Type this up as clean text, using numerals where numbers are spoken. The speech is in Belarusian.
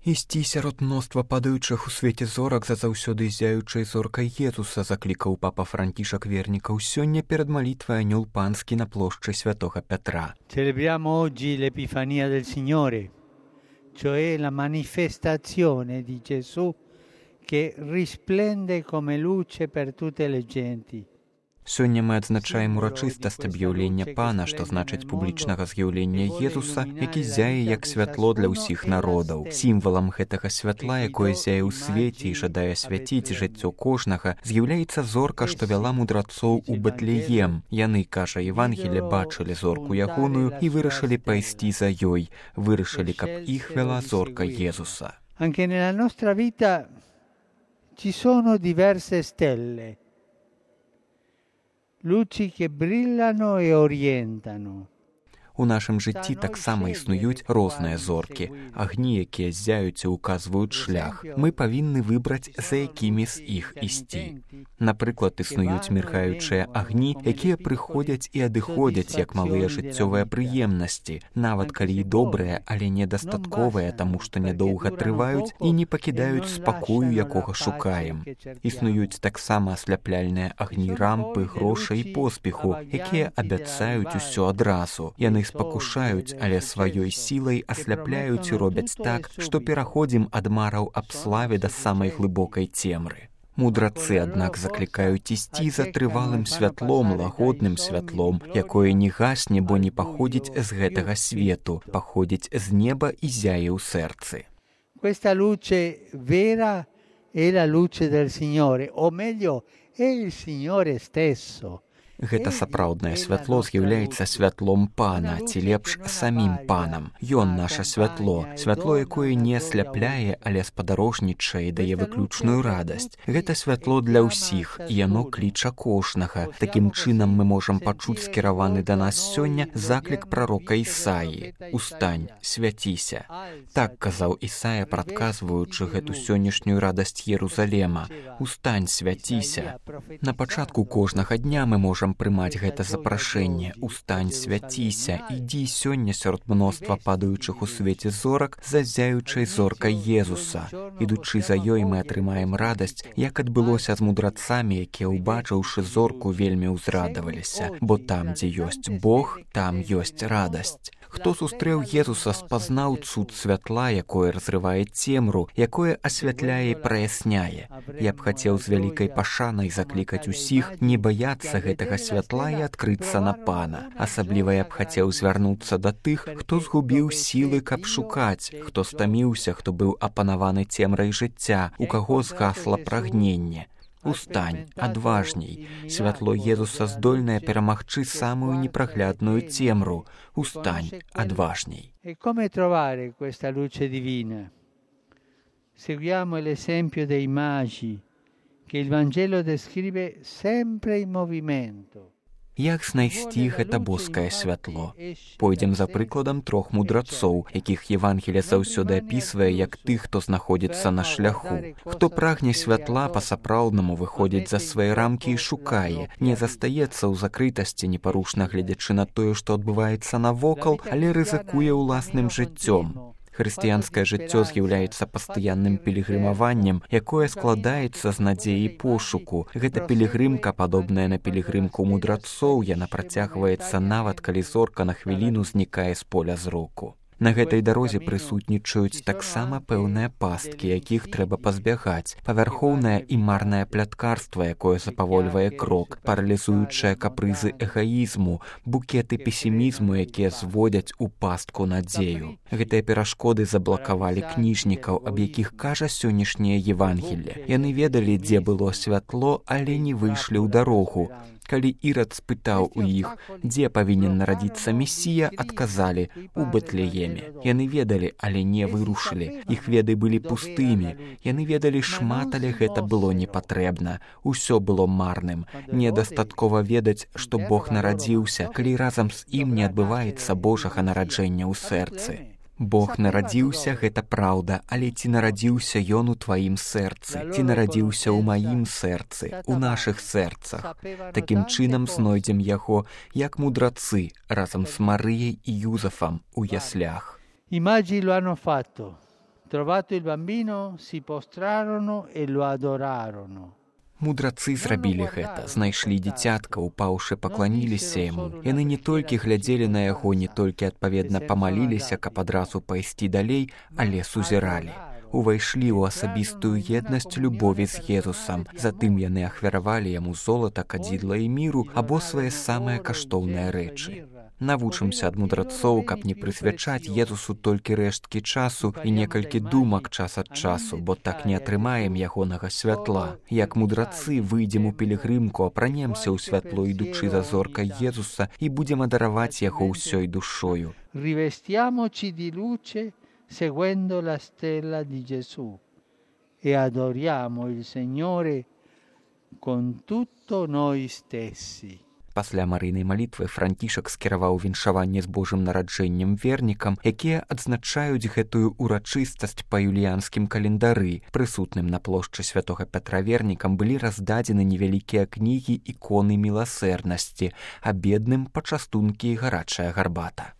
Ісці сярод мноства падаючых у свеце зорак за заўсёды зяючай зоркай Езуса заклікаў папа Францішак вернікаў сёння перад малітвай анёл панскі на плошчы святога Петра. Celebriamo oggi l'Epifania del Signore, cioè la manifestazione di Gesù che risplende come luce per tutte le genti. Сёння мы адзначаем урачыстасць аб'яўлення Пана, што значыць публічнага з'яўлення Езуса, які зяе як святло для ўсіх народаў. Сімвалам гэтага святла, якое зяе ў свеце і жадае свяціць жыццё кожнага, з'яўляецца зорка, што вяла мудрацоў у Бэтлеем. Яны, кажа Евангелие, бачылі зорку ягоную і вырашылі пайсці за ёй. Вырашылі, каб іх вяла зорка Езуса. Anche nella nostra vita ci sono diverse stelle. Luci che brillano e orientano. У нашым жыцці таксама існуюць розныя зоркі, агні, якія зяюць і ўказваюць шлях. Мы павінны выбраць, за якімі з іх ісці. Напрыклад, існуюць міргаючыя агні, якія прыходзяць і адыходзяць, як малыя жыццёвыя прыемнасці, нават калі і добрыя, але недастатковыя, таму што нядоўга трываюць і не пакідаюць спакою, якога шукаем. Існуюць таксама асляпляльныя агні рампы, грошай і поспеху, якія абяцаюць усё адразу. Яны спакушаюць, але сваёй сілай асляпляюць і робяць так, што пераходзім ад мараў аб славе да самай глыбокай цемры. Мудрацы, аднак, заклікаюць ісці за трывалым святлом, лагодным святлом, якое не гасне, бо не паходзіць з гэтага свету, паходзіць з неба і зяе ў сэрцы. Questa luce vera è la luce del Signore, o meglio, è il Signore stesso. Гэта сапраўднае святло з'яўляецца святлом Пана, ці лепш самім Панам. Ён наша святло, святло, якое не асляпляе, але спадарожнічае і дае выключную радасць. Гэта святло для ўсіх, і яно кліча кожнага. Такім чынам мы можам пачуць скіраваны да нас сёння заклік прарока Ісаі: «Устань, свяціся». Так казаў Ісая, прадказваючы гэту сённяшнюю радасць Єрусалема. «Устань, свяціся». На пачатку кожнага дня мы можам прымаць гэта запрашэнне: «Устань, свяціся, ідзі сёння сярод мноства падаючых у свеце зорак за зяючай зоркай Езуса». Ідучы за ёй, мы атрымаем радасць, як адбылося з мудрацамі, якія, убачыўшы зорку, вельмі ўзрадаваліся, бо там, дзе ёсць Бог, там ёсць радасць. Хто сустрэў Езуса, спазнаў цуд святла, якое разрывае цемру, якое асвятляе і праясняе. Я б хацеў з вялікай пашанай заклікаць усіх не баяцца гэтага святла і адкрыцца на Пана. Асабліва я б хацеў звярнуцца да тых, хто згубіў сілы, каб шукаць, хто стаміўся, хто быў апанаваны цемрай жыцця, у каго згасла прагненне. Устань, адважней. Святло Езуса здольнае перамагчы самую непраглядную цемру. Устань, адважней. E come trovare questa luce divina? Seguiamo l'esempio dei magi che il Vangelo descrive sempre in movimento. Як знайсці гэта боскае святло? Пойдзем за прыкладам трох мудрацоў, якіх Евангелие заўсёды апісвае як тых, хто знаходзіцца на шляху. Хто прагне святла, па-сапраўднаму выходзіць за свае рамкі і шукае, не застаецца ў закрытасці, непарушна гледзячы на тое, што адбываецца навокал, але рызыкуе ўласным жыццём. Хрысціянскае жыццё з'яўляецца пастаянным пілігрымаваннем, якое складаецца з надзеі пошуку. Гэта пілігрымка, падобная на пілігрымку мудрацоў, яна працягваецца нават, калі зорка на хвіліну знікае з поля зроку. На гэтай дарозе прысутнічаюць таксама пэўныя пасткі, якіх трэба пазбягаць, павярхоўнае і марнае пляткарства, якое запавольвае крок, паралізуючыя капрызы эгаізму, букеты песімізму, якія зводзяць у пастку надзею. Гэтыя перашкоды заблакавалі кніжнікаў, аб якіх кажа сённяшняе Евангелие. Яны ведалі, дзе было святло, але не выйшлі ў дарогу. Калі Ірад спытаў у іх, дзе павінен нарадзіцца Месія, адказалі: у Бэтлееме. Яны ведалі, але не вырушылі. Іх веды былі пустымі. Яны ведалі шмат, але гэта было не патрэбна. Усё было марным. Недастаткова ведаць, што Бог нарадзіўся, калі разам з ім не адбываецца Божага нараджэння ў сэрцы. Бог нарадзіўся, гэта праўда, але ці нарадзіўся Ён у тваім сэрцы, ці нарадзіўся ў маім сэрцы, у нашых сэрцах. Такім чынам знойдзем яго, як мудрацы, разам з Марыяй і Юзафам у яслях. I magi lo hanno fatto, Trovato il bambino, si postrarono e lo adorarono. Мудрацы зрабілі гэта, знайшлі дзіцятка, упаўшы пакланіліся яму. Яны не толькі глядзелі на яго, не толькі адпаведна памаліліся, каб адразу пайсці далей, але сузіралі. Увайшлі ў асабістую еднасць любові з Езусам. Затым яны ахвяравалі яму золата, кадзідла і міру або свае самыя каштоўныя рэчы. Навучымся ад мудрацоў, каб не прысвячаць Езусу толькі рэшткі часу і некалькі думак час ад часу, бо так не атрымаем ягонага святла. Як мудрацы выйдзем у пілігрымку, апранемся ў святло, ідучы за зоркай Езуса, і будзем адараваць яго ўсёй душою. Rivestiamoci di luce seguendo la stella di Gesù e adoriamo il Signore con tutto noi stessi. Пасля марыйнай малітвы Францішак скіраваў віншаванне з Божым нараджэннем вернікам, якія адзначаюць гэтую урачыстасць па юліянскім календары. Прысутным на плошчы святога Пятра вернікам былі раздадзены невялікія кнігі іконы міласэрнасці, а бедным пачастункі і гарачая гарбата.